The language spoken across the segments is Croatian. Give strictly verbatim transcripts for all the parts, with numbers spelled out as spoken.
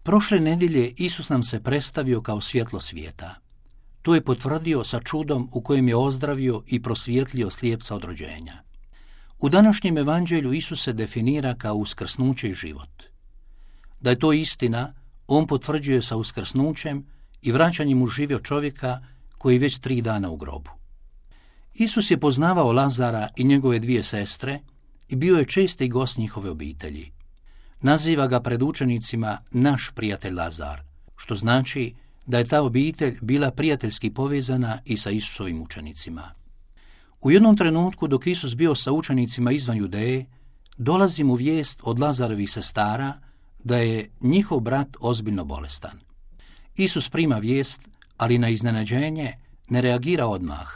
Prošle nedjelje Isus nam se predstavio kao svjetlo svijeta. To je potvrdio sa čudom u kojem je ozdravio i prosvjetlio slijepca od rođenja. U današnjem evanđelju Isus se definira kao uskrsnuće i život. Da je to istina, on potvrđuje sa uskrsnućem i vraćanjem u živio čovjeka koji već tri dana u grobu. Isus je poznavao Lazara i njegove dvije sestre i bio je česti gost njihove obitelji. Naziva ga pred učenicima naš prijatelj Lazar, što znači da je ta obitelj bila prijateljski povezana i sa Isusovim učenicima. U jednom trenutku dok Isus bio sa učenicima izvan Judeje, dolazi mu vijest od Lazarovih sestara da je njihov brat ozbiljno bolestan. Isus prima vijest, ali na iznenađenje ne reagira odmah,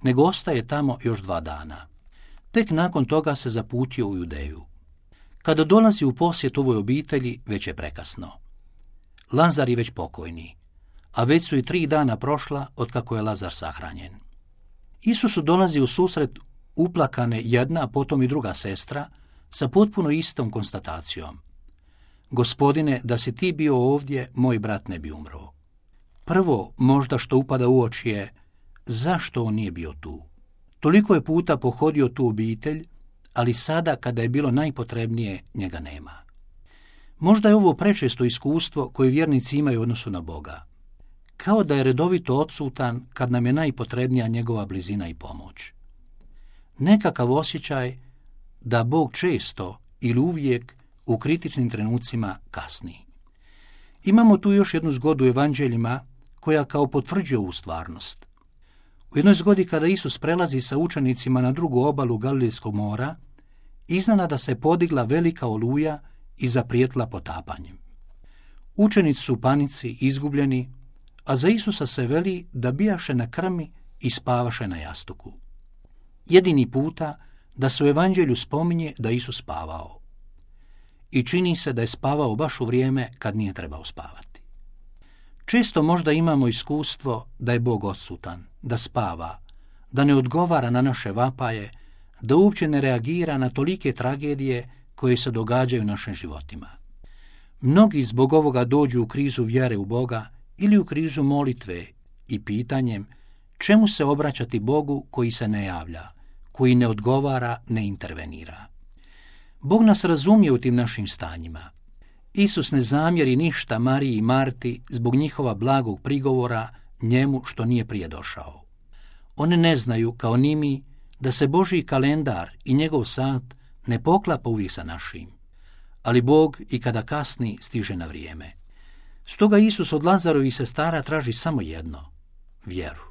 nego ostaje tamo još dva dana. Tek nakon toga se zaputio u Judeju. Kada dolazi u posjet ovoj obitelji, već je prekasno. Lazar je već pokojni, a već su i tri dana prošla otkako je Lazar sahranjen. Isusu dolazi u susret uplakane jedna, a potom i druga sestra, sa potpuno istom konstatacijom. Gospodine, da si ti bio ovdje, moj brat ne bi umro. Prvo, možda što upada u oči je, zašto on nije bio tu? Toliko je puta pohodio tu obitelj, ali sada, kada je bilo najpotrebnije, njega nema. Možda je ovo prečesto iskustvo koje vjernici imaju u odnosu na Boga. Kao da je redovito odsutan kad nam je najpotrebnija njegova blizina i pomoć. Nekakav osjećaj da Bog često ili uvijek u kritičnim trenucima kasni. Imamo tu još jednu zgodu u evanđeljima koja kao potvrđuje ovu stvarnost. U jednoj zgodi kada Isus prelazi sa učenicima na drugu obalu Galilejskog mora, iznenada se podigla velika oluja i zaprijetila potapanjem. Učenici su u panici, izgubljeni, a za Isusa se veli da bijaše na krmi i spavaše na jastuku. Jedini puta da se u evanđelju spominje da Isus spavao. I čini se da je spavao baš u vrijeme kad nije trebao spavati. Često možda imamo iskustvo da je Bog odsutan, da spava, da ne odgovara na naše vapaje, da uopće ne reagira na tolike tragedije koje se događaju u našim životima. Mnogi zbog ovoga dođu u krizu vjere u Boga ili u krizu molitve i pitanjem čemu se obraćati Bogu koji se ne javlja, koji ne odgovara, ne intervenira. Bog nas razumije u tim našim stanjima. Isus ne zamjeri ništa Mariji i Marti zbog njihova blagog prigovora njemu što nije prije došao. One ne znaju, kao ni mi, da se Božji kalendar i njegov sat ne poklapa uvijek sa našim, ali Bog i kada kasni stiže na vrijeme. Stoga Isus od Lazarovih sestara traži samo jedno, vjeru.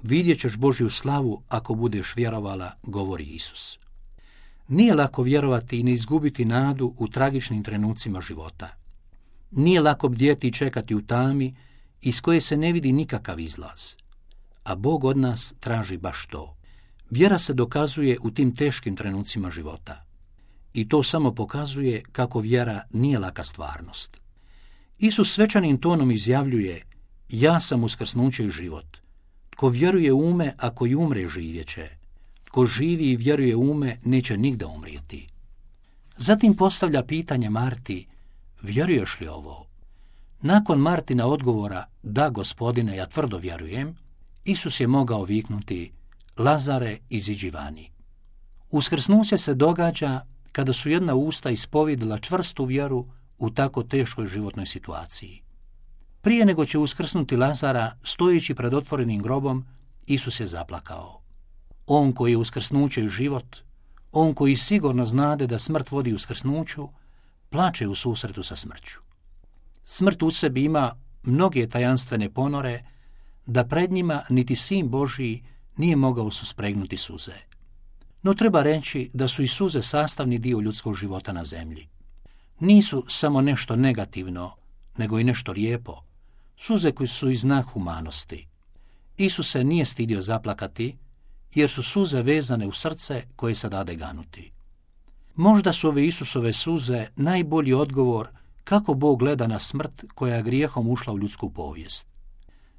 Vidjet ćeš Božju slavu ako budeš vjerovala, govori Isus. Nije lako vjerovati i ne izgubiti nadu u tragičnim trenucima života. Nije lako bdjeti i čekati u tami iz koje se ne vidi nikakav izlaz. A Bog od nas traži baš to. Vjera se dokazuje u tim teškim trenucima života. I to samo pokazuje kako vjera nije laka stvarnost. Isus svečanim tonom izjavljuje, ja sam uskrsnuće i život. Tko vjeruje u me, ako i umre, živjet će. Tko živi i vjeruje u me, neće nigda umrijeti. Zatim postavlja pitanje Marti, vjeruješ li ovo? Nakon Martina odgovora, da gospodine, ja tvrdo vjerujem, Isus je mogao viknuti, Lazare, iziđi vani. Uskrsnuće se događa kada su jedna usta ispovjedila čvrstu vjeru u tako teškoj životnoj situaciji. Prije nego će uskrsnuti Lazara, stojeći pred otvorenim grobom, Isus je zaplakao. On koji je uskrsnuće i život, on koji sigurno znade da smrt vodi uskrsnuću, plače u susretu sa smrću. Smrt u sebi ima mnoge tajanstvene ponore, da pred njima niti Sin Božji nije mogao suspregnuti suze. No treba reći da su i suze sastavni dio ljudskog života na zemlji. Nisu samo nešto negativno, nego i nešto lijepo, suze koje su i znak humanosti. Isus se nije stidio zaplakati, jer su suze vezane u srce koje se dade ganuti. Možda su ove Isusove suze najbolji odgovor kako Bog gleda na smrt koja je grijehom ušla u ljudsku povijest.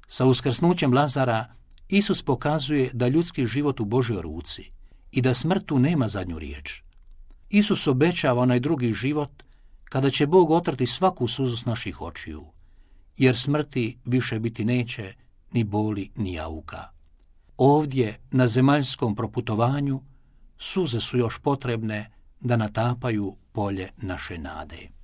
Sa uskrsnućem Lazara Isus pokazuje da ljudski život u Božjoj ruci i da smrt tu nema zadnju riječ. Isus obećava onaj drugi život kada će Bog otrti svaku suzu s naših očiju, jer smrti više biti neće, ni boli, ni jauka. Ovdje, na zemaljskom proputovanju, suze su još potrebne da natapaju polje naše nade.